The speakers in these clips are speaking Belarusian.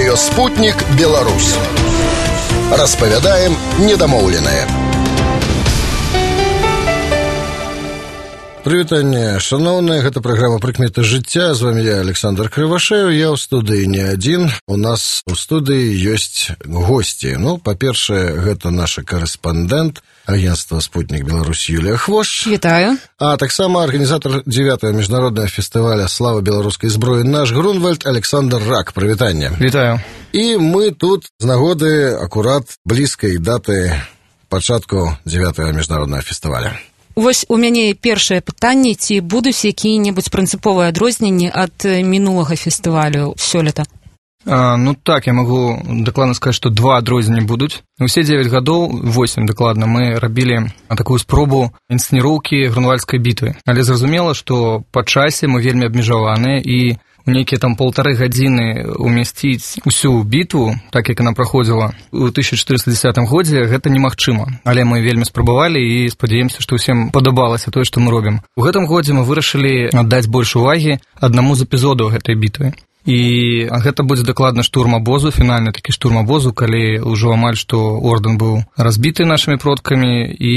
Радио «Спутник Беларусь». Распавядаем недамоўленае. Прывітанне, шаноўныя, гэта праграма «Прыкметы жыцця». З вами я, Александр Крывашеў. Я ў студыі не адзін. У нас у студыі ёсць госці. Па-першае, гэта наша карэспандэнт агентства «Спутник Беларусь» Юлія Хвощ. Вітаю. А таксама арганізатар 9-го міжнароднага фестываля «Слава беларускай зброі» наш Грунвальд Александр Рак. Прывітанне. Вітаю. І мы тут з нагоды акурат блізкай даты пачатку 9-го міжнароднага фестываля. Вось у мяне першае пытанне, ці будуць якія-небудзь прынцыповыя адрозненні ад мінулага фестывалю сёлета? Так, я магу дакладна сказаць, што 2 адрозненні будуць. Усе 9 гадоў, 8 дакладна, мы рабілі такую спробу інсцэніроўкі Грунвальдскай бітвы. Але зразумела, што па часе мы вельмі абмежаваныя, і у нейкія там 1,5 гадзіны умясціць усю бітву, так як яна праходзіла ў 1410 годзе, гэта немагчыма. Але мы вельмі спрабавалі і спадзяемся, што ўсім падабалася тое, што мы робім. У гэтым годзе мы вырашылі аддаць больш увагі аднаму з эпізодаў гэтай бітвы. І гэта будзе дакладна штурм абозу, фінальны такі штурм абозу, калі ўжо амаль што ордэн быў разбіты нашымі продкамі, і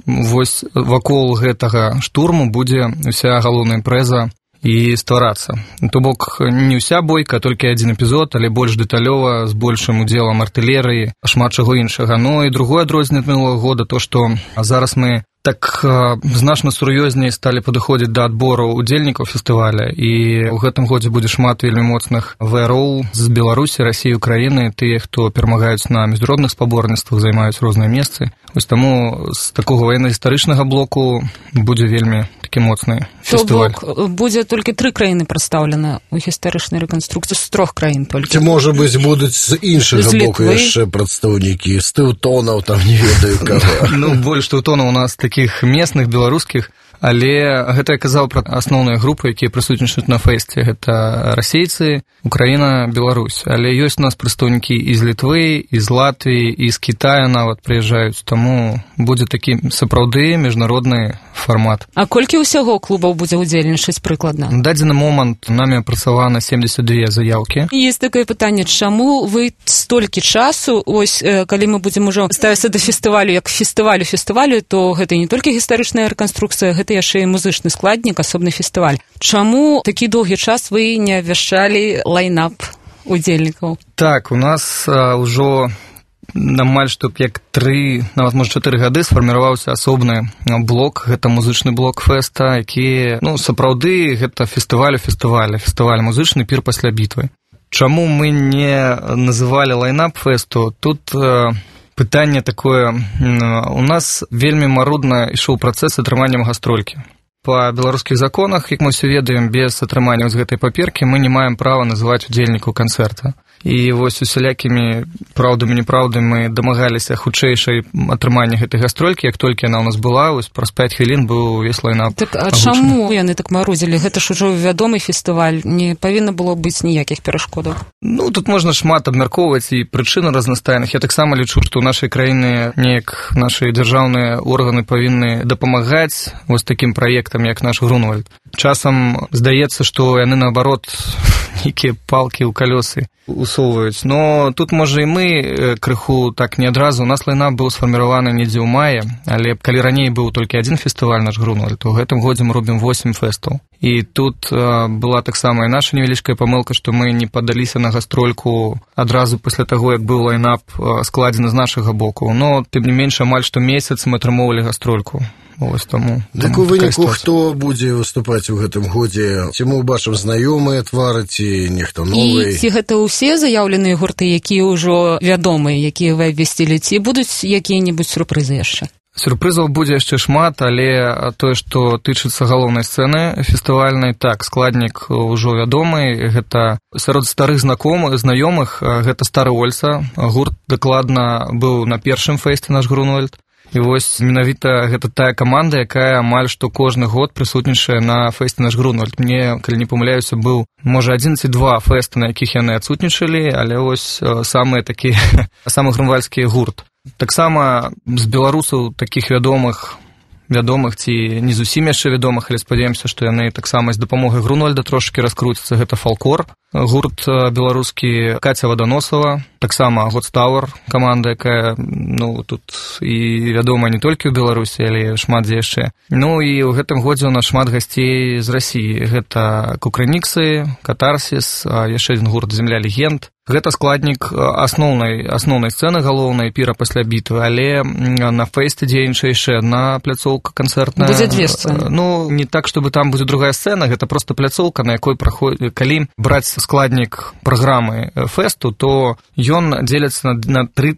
вось вакол гэтага штурму будзе ўся галоўная імпрэза і стварацца. То бок не ўся бойка, толькі адзін эпізод, але больш дэталёва, з большым удзелам артылерыі, шмат чаго іншага. І другое адрозненне ад мінулага года, то што зараз мы так значна сур'ёзней сталі падыходзіць да адбору удзельнікаў фестываля, і ў гэтым годзе будзе шмат вельмі моцных ВРО з Беларусі, Расіі, Украіны, тыя, хто перамагаюць на міжнародных спаборніцтвах, займаюць розныя месцы. Вось таму з такога ваенна-гістарычнага блоку будзе вельмі такі моцны фестываль. То бок будзе толькі 3 краіны прадстаўлены ў гістарычнай рэканструкцыі, з 3 краін толькі. Ці, можа быць, будуць з іншага боку яшчэ прадстаўнікі, з тэўтонаў, там не ведаю каго. Больш тэўтонаў у нас такіх местных, беларускіх, але гэта я казаў пра асноўныя групы, якія прысутнічаюць на фэсце. Гэта расейцы, Украіна, Беларусь. Але ёсць у нас прадстаўнікі і з Літвы, і з Латвіі, і з Кітая нават прыязджаюць. Таму будзе такі сапраўды міжнародны фармат. А колькі ўсяго клубаў будзе ўдзельнічаць прыкладна? На дадзены момант намі апрацавана 72 заяўкі. Есть такое пытанне, чаму вы столькі часу, ось калі мы будзем ужо ставіцца да фестывалю як фестывалю, то гэта не толькі гістарычная рэканструкцыя, гэта яшчэ і музычны складнік, асобны фестываль. Чаму такі доўгі час вы не абвяшчалі лайнап удзельнікаў? Так, у нас ўжо амаль што як 3, нават можа 4 гады сфарміраваўся асобны блок, гэта музычны блок фэста, які, сапраўды гэта фестываль музычны пір пасля бітвы. Чаму мы не называлі лайнап фэсту? Тут пытанне такое, у нас вельмі марудна ішоў працэс атрымання гастролькі. Па беларускіх законах, як мы ўсе ведаем, без атрымання з гэтай паперкі мы не маем права называць удзельнікаў канцэрта. І вось усялякімі праўдамі-непраўдамі мы дамагаліся хутчэйшай атрымання гэтай гастролькі, як толькі яна ў нас была, вось праз 5 хвілін быў увесь лайнап. Так, а чаму яны так марудзілі? Гэта ж ужо вядомы фестываль, не павінна было быць ніякіх перашкодаў. Тут можна шмат абмяркоўваць і прычыны разнастайных. Я таксама лічу, што ў нашай краіны неяк нашы дзяржаўныя органы павінны дапамагаць вось такім праектам, як наш Грунвальд. Часам здаецца, што яны, наоборот, нейкія палкі ў калёсы усоўваюць. Но тут, можа, і мы крыху так не адразу. У нас лайнап быў сфарміраваны недзе ў маі, але калі раней быў толькі адзін фестываль наш Грунвальд, то ў гэтым годзе мы робім 8 фэстаў. І тут была таксама і наша невялічкая памылка, што мы не падаліся на гастрольку адразу пасля таго, як быў лайнап складзены з нашага боку. Но, тым не менш, амаль што месяц мы атрымоўвалі гастрольку. Так у выніку, хто будзе выступаць у гэтым годзе? Ці мы ўбачым знаёмыя твары, ці нехто новы? І ці гэта ўсе заяўленыя гурты, якія ўжо вядомыя, якія вы абвясцілі, ці будуць якія-небудзь сюрпрызы яшчэ? Сюрпрызаў будзе яшчэ шмат, але тое, што тычыцца галоўнай сцэны фестывальнай, так, складнік ўжо вядомы, гэта сярод старых знаёмых, гэта Стары Ольца, гурт дакладна быў на першым фэсце наш Грунвальд. І вось менавіта гэта тая каманда, якая амаль што кожны год прысутнічае на фэсце наш Грунвальд. Мне, калі не памыляюся, быў, можа, 1 ці 2 фэсты, на якіх яны адсутнічалі, але вось самы грунвальдскі гурт. Таксама з беларусаў такіх вядомых вядомых ці не зусім яшчэ вядомых, але спадзяемся, што яны таксама з дапамогай Грунвальда трошкі раскруцяцца. Гэта фалклор, гурт беларускі, Каця Ваданосава, таксама Годстауэр, каманда, якая тут і вядомая не толькі ў Беларусі, але шмат дзе яшчэ. І ў гэтым годзе у нас шмат гасцей з Расіі. Гэта Кукрыниксы, Катарсіс, яшчэ адзін гурт Земля легенд. Гэта складнік асноўнай сцэны галоўнай піра пасля бітвы, але на фэсце дзейнічае яшчэ адна пляцоўка канцэртная. Будзе дзве сцэны. Не так, чтобы там будзе другая сцэна, гэта проста пляцоўка, на якой праходзіць, калі браць складнік праграмы фэсту, то ён дзеліцца на две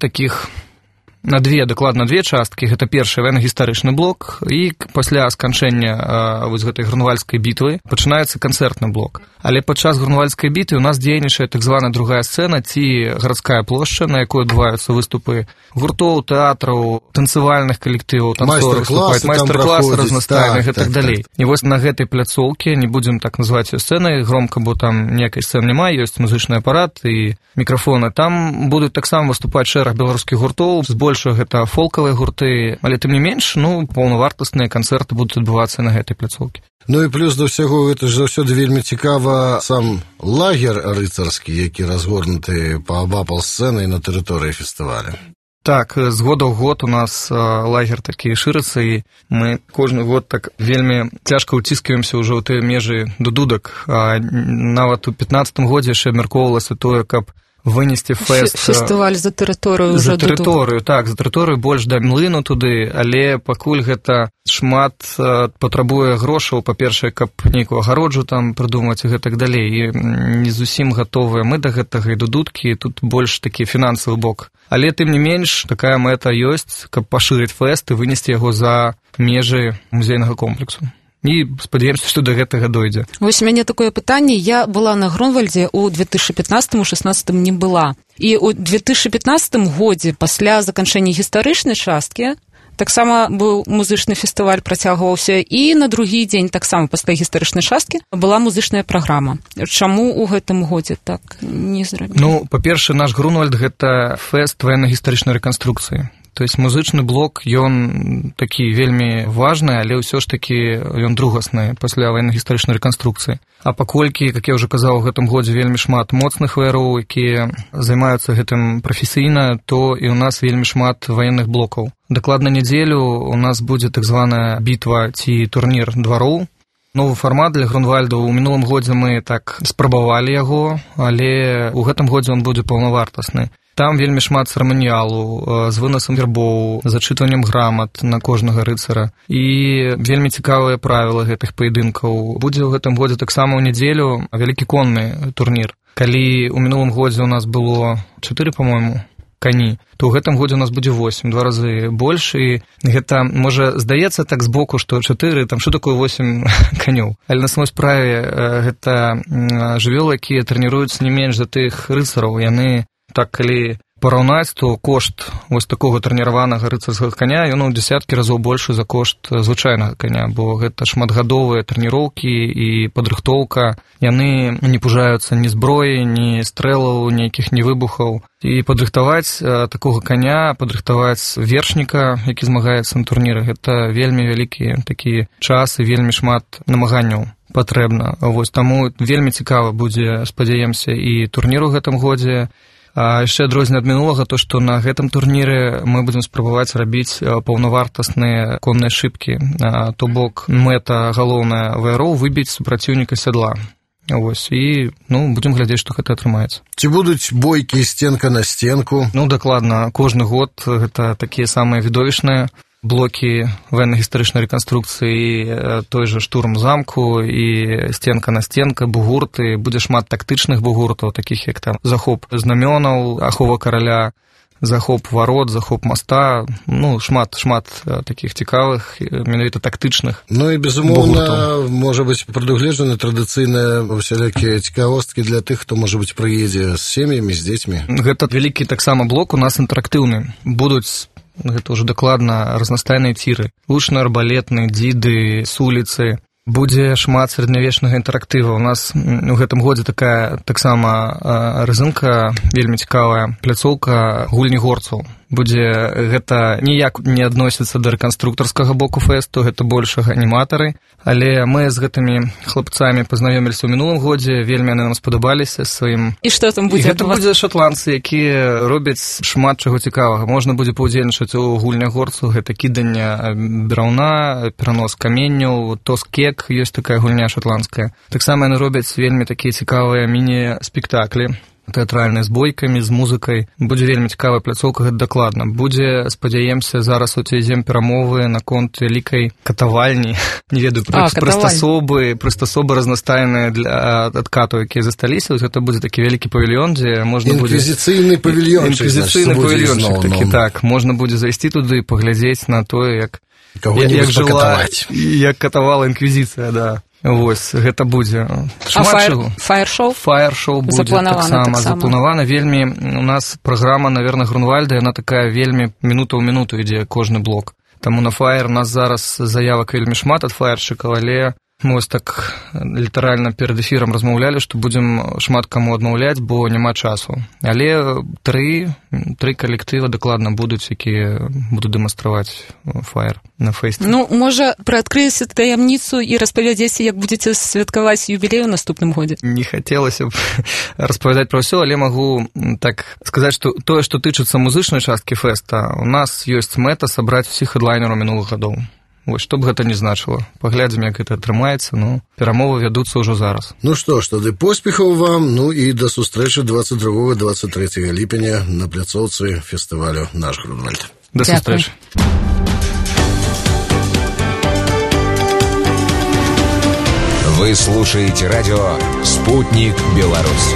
часткі. Гэта першы военно-гістарычны блок, і пасля сканчэння гэтай грунвальдскай бітвы пачынаецца канцэртны блок. Але падчас грунвальдскай бітвы у нас дзейнічае так званая другая сцэна ці гарадская плошча, на якой адбываюцца выступы гуртоў, тэатраў, танцавальных калектываў, танцораў, майстар-класы разнастайных і так далей. І вось на гэтай пляцоўкі, не будзем так называць её сцэнай громка, бо там ніякай сцэны няма, ёсць музычны апарат і мікрафоны. Там будуць таксама выступаць шэраг беларускіх гуртоў, збольшага гэта фолкавыя гурты, але тым не менш, паўнавартасныя канцэрты будуць адбывацца на гэтай пляцоўкі. І плюс да ўсяго, гэта ж заўсёды вельмі цікава сам лагер рыцарскі, які разгорнуты паабапал сцэны і на тэрыторыі фестываля. Так, з года ў год у нас лагер такі шырыцца, і мы кожны год так вельмі цяжка ўціскаемся ўжо ў тыя межы до дудак. Нават у 15-м годзе яшчэ абмяркоўвалася тое, каб вынесці фестываль за тэрыторыю за тэрыторыю больш да млыну туды, але пакуль гэта шмат патрабуе грошаў, па-першае, каб нейкую агароджу там прыдумаць і гэтак далей, і не зусім гатовыя мы да гэтага, і да дудкі, тут больш такі фінансавы бок. Але тым не менш такая мэта ёсць, каб пашырыць фэст і вынесці яго за межы музейнага комплексу. І спадзяемся, што да гэтага дойдзе. Вось у мяне такое пытанне. Я была на Грунвальдзе ў 2015-16 не была. І ў 2015 годзе, пасля заканчэння гістарычнай часткі, таксама быў музычны фестываль, працягваўся, і на другі дзень таксама пасля гістарычнай часткі была музычная праграма. Чаму ў гэтым годзе так не зрабілі? Па-першае, наш Грунвальд – гэта фэст военно-гістарычнай рэканструкцыі. То есть музычны блок, ён такі вельмі важны, але ўсё ж такі ён другасны пасля военно-гістарычнай рэканструкцыі. А паколькі, як я ўжо казаў, у гэтым годзе вельмі шмат моцных ваяроў, якія займаюцца гэтым прафесійна, то і ў нас вельмі шмат ваенных блокаў. Дакладна нядзелю у нас будзе так званая бітва ці турнір двароў. Новы фармат для Грунвальда. У мінулым годзе мы так спрабавалі яго, але ў гэтым годзе ён будзе паўнавартасны. Там вельмі шмат цырыманіялу з вынасам гербоў, зачытваннем грамат на кожнага рыцара. І вельмі цікавыя правілы гэтых паядынкаў. Будзе ў гэтым годзе таксама ў нядзелю вялікі конны турнір. Калі ў мінулым годзе у нас было 4, па-мойму, кані, то ў гэтым годзе у нас будзе 8, 2 разы больш, і гэта, можа, здаецца так збоку, што 4, там што такое 8 канёў. Але на самой справе гэта жывёлы, якія трэніруюцца не менш за тых рыцараў. Яны, так, калі параўнаць, то кошт вось такога трэніраванага рыцарскага каня, ён у дзесяткі разоў большы за кошт звычайнага каня, бо гэта шматгадовыя трэніроўкі і падрыхтоўка. Яны не пужаюцца ні зброі, ні стрэлаў, нейкіх ні выбухаў. І падрыхтаваць такога каня, падрыхтаваць вершніка, які змагаецца на турніры, гэта вельмі вялікі такі час і вельмі шмат намаганняў патрэбна. Вось таму вельмі цікава будзе, спадзяемся, і турнір у гэтым годзе. А яшчэ адрозненне ад мінулага, то што на гэтым турніры мы будзем спрабаваць рабіць паўнавартасныя конныя шыбкі. То бок мэта галоўная ваяроў выбіць супраціўніка сядла. Вось, і будзем глядзець, што гэта атрымаецца. Ці будуць бойкі стенка на стенку? Дакладна, кожны год гэта такія самыя відовішныя блокі военно-гістарычнай рэканструкцыі, той же штурм замку і стенка на стенка, бугурты. Будзе шмат тактычных бугуртаў, такіх як там захоп знамёнаў, ахова караля, захоп варот, захоп моста. Шмат такіх цікавых, менавіта тактычных. І, безумоўна, можа быць прадугледжаны традыцыйныя усялякія цікавосткі для тых, хто, можа быць, прыедзе з сем'ямі, з дзецьмі. Гэта вялікі таксама блок у нас інтэрактыўны. Будуць, гэта ўжо дакладна, разнастайныя ціры, лучна-арбалетны, дзіды, суліцы. Будзе шмат сярэднявечнага інтэрактыва. У нас у гэтым годзе такая таксама рызынка вельмі цікавая, пляцоўка гульні горцаў. гэта ніяк не адносіцца да рэканструктарскага боку фэсту, гэта больш аніматары, але мы з гэтымі хлапцамі пазнаёміліся ў мінулым годзе, вельмі яны нам спадабаліся сваім. І што там будзе? Гэта будзе шатландцы, якія робяць шмат чаго цікавага. Можна будзе паўдзельнічаць у гульнях горцу, гэта кіданне драўна, перанос каменняў, тоскек, ёсць такая гульня шатландская. Таксама яны робяць вельмі такія цікавыя міні-спектаклі, тэатральныя з бойкамі, з музыкай. Будзе вельмі цікавая пляцоўка, гэта дакладна. Будзе, спадзяемся, зараз уцвядзем перамовы наконт вялікай катавальні. Не ведаю, прыстасобы разнастайныя для адкатаў, якія засталіся. Гэта будзе такі вялікі павільён, дзе можна будзе... Інквізіцыйны павільёнчык. Інквізіцыйны павільёнчык такі, так. Можна будзе зайсці туды і паглядзець на тое, як жыла, як катавала інквізіцыя, да. Вось, гэта будзе шмат чаго. Фаер-шоу? Фаер-шоу будзе таксама запланавана. Вельмі у нас праграма, наверное, Грунвальда, яна такая вельмі мінута ў мінуту ідзе кожны блок. Таму на фаер у нас зараз заявак вельмі шмат ад фаершчыкаў, але мы вось так літаральна перад эфірам размаўлялі, што будзем шмат каму адмаўляць, бо няма часу. Але тры калектыва дакладна будуць, якія будуць дэманстраваць фаер на фэсце. Ну, можа, прыадкрыеце таямніцу і распавядзеце, як будзеце святкаваць юбілей у наступным годзе? Не хацелася б распавядаць пра ўсё, але магу так сказаць, што тое, што тычыцца музычнай часткі фэста, у нас ёсць мэта сабраць усіх хедлайнераў минулых гадоў. Вось, што б гэта не значыла. Паглядзім, як гэта атрымаецца, ну, перамовы вядуцца ўжо зараз. Ну што ж, тады поспехаў вам, ну і да сустрэчы 22-23 ліпеня на пляцоўцы фестывалю «Наш Грунвальд». Да сустрэчы. Вы слушаете радио «Спутник Беларусь».